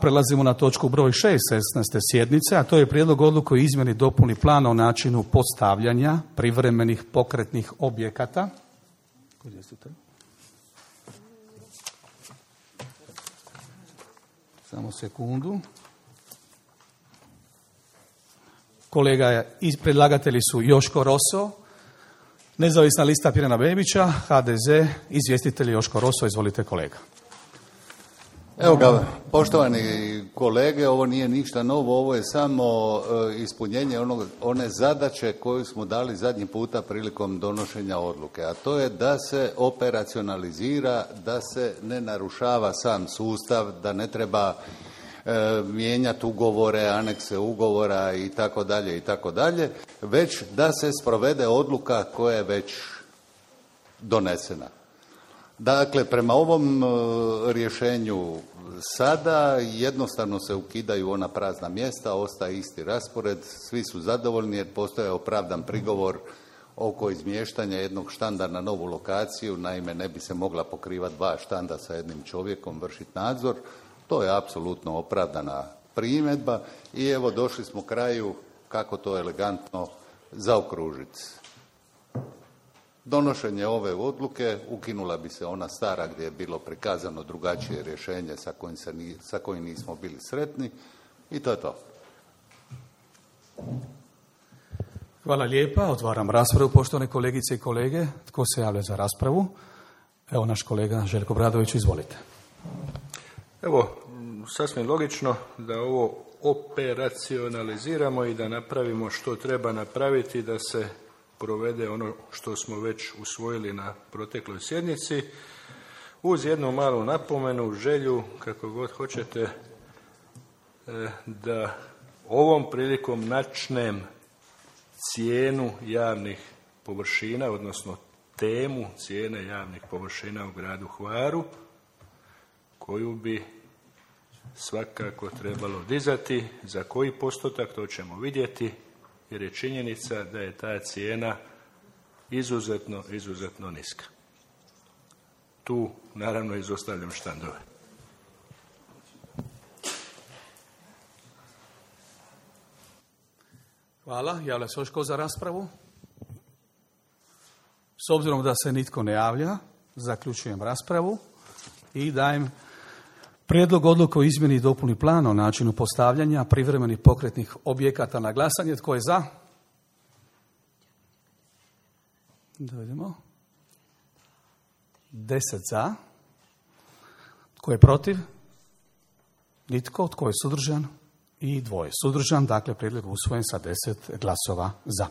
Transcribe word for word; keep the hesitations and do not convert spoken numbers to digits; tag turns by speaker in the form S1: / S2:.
S1: Prelazimo na točku broj šest šesnaeste sjednice, a to je prijedlog odluke o izmjeni dopuni plana o načinu postavljanja privremenih pokretnih objekata. Samo sekundu. Kolega iz predlagatelji su Joško Roso, Nezavisna lista Pirana Bebića, H D Z, izvjestitelj Joško Roso. Izvolite kolega.
S2: Evo ga, poštovani kolege, ovo nije ništa novo, ovo je samo ispunjenje onog, one zadaće koju smo dali zadnji puta prilikom donošenja odluke, a to je da se operacionalizira, da se ne narušava sam sustav, da ne treba e, mijenjati ugovore, anekse ugovora i tako dalje i tako dalje, već da se sprovede odluka koja je već donesena. Dakle, prema ovom rješenju sada jednostavno se ukidaju ona prazna mjesta, ostaje isti raspored, svi su zadovoljni jer postoje opravdan prigovor oko izmještanja jednog štanda na novu lokaciju, naime ne bi se mogla pokrivati dva štanda sa jednim čovjekom, vršiti nadzor, to je apsolutno opravdana primjedba i evo došli smo kraju kako to elegantno zaokružiti. Donošenje ove odluke ukinula bi se ona stara gdje je bilo prikazano drugačije rješenje sa kojim, se ni, sa kojim nismo bili sretni i to je to.
S1: Hvala lijepa. Otvaram raspravu, poštovane kolegice i kolege. Tko se javlja za raspravu? Evo naš kolega Željko Bradović, izvolite.
S3: Evo, sasvim logično da ovo operacionaliziramo i da napravimo što treba napraviti da se provede ono što smo već usvojili na protekloj sjednici, uz jednu malu napomenu, želju, kako god hoćete, da ovom prilikom načnem cijenu javnih površina, odnosno temu cijene javnih površina u gradu Hvaru, koju bi svakako trebalo dizati. Za koji postotak, to ćemo vidjeti, jer je činjenica da je ta cijena izuzetno, izuzetno niska. Tu naravno izostavljam štandove.
S1: Hvala. Javlja se još tko za raspravu? S obzirom da se nitko ne javlja, zaključujem raspravu i dajem prijedlog odluke o izmjeni i dopuni plana o načinu postavljanja privremenih pokretnih objekata na glasanje. Tko je za? Dovedemo. Deset za. Tko je protiv? Nitko. Tko je suzdržan? I dvoje suzdržan. Dakle, prijedlog usvojen sa deset glasova za.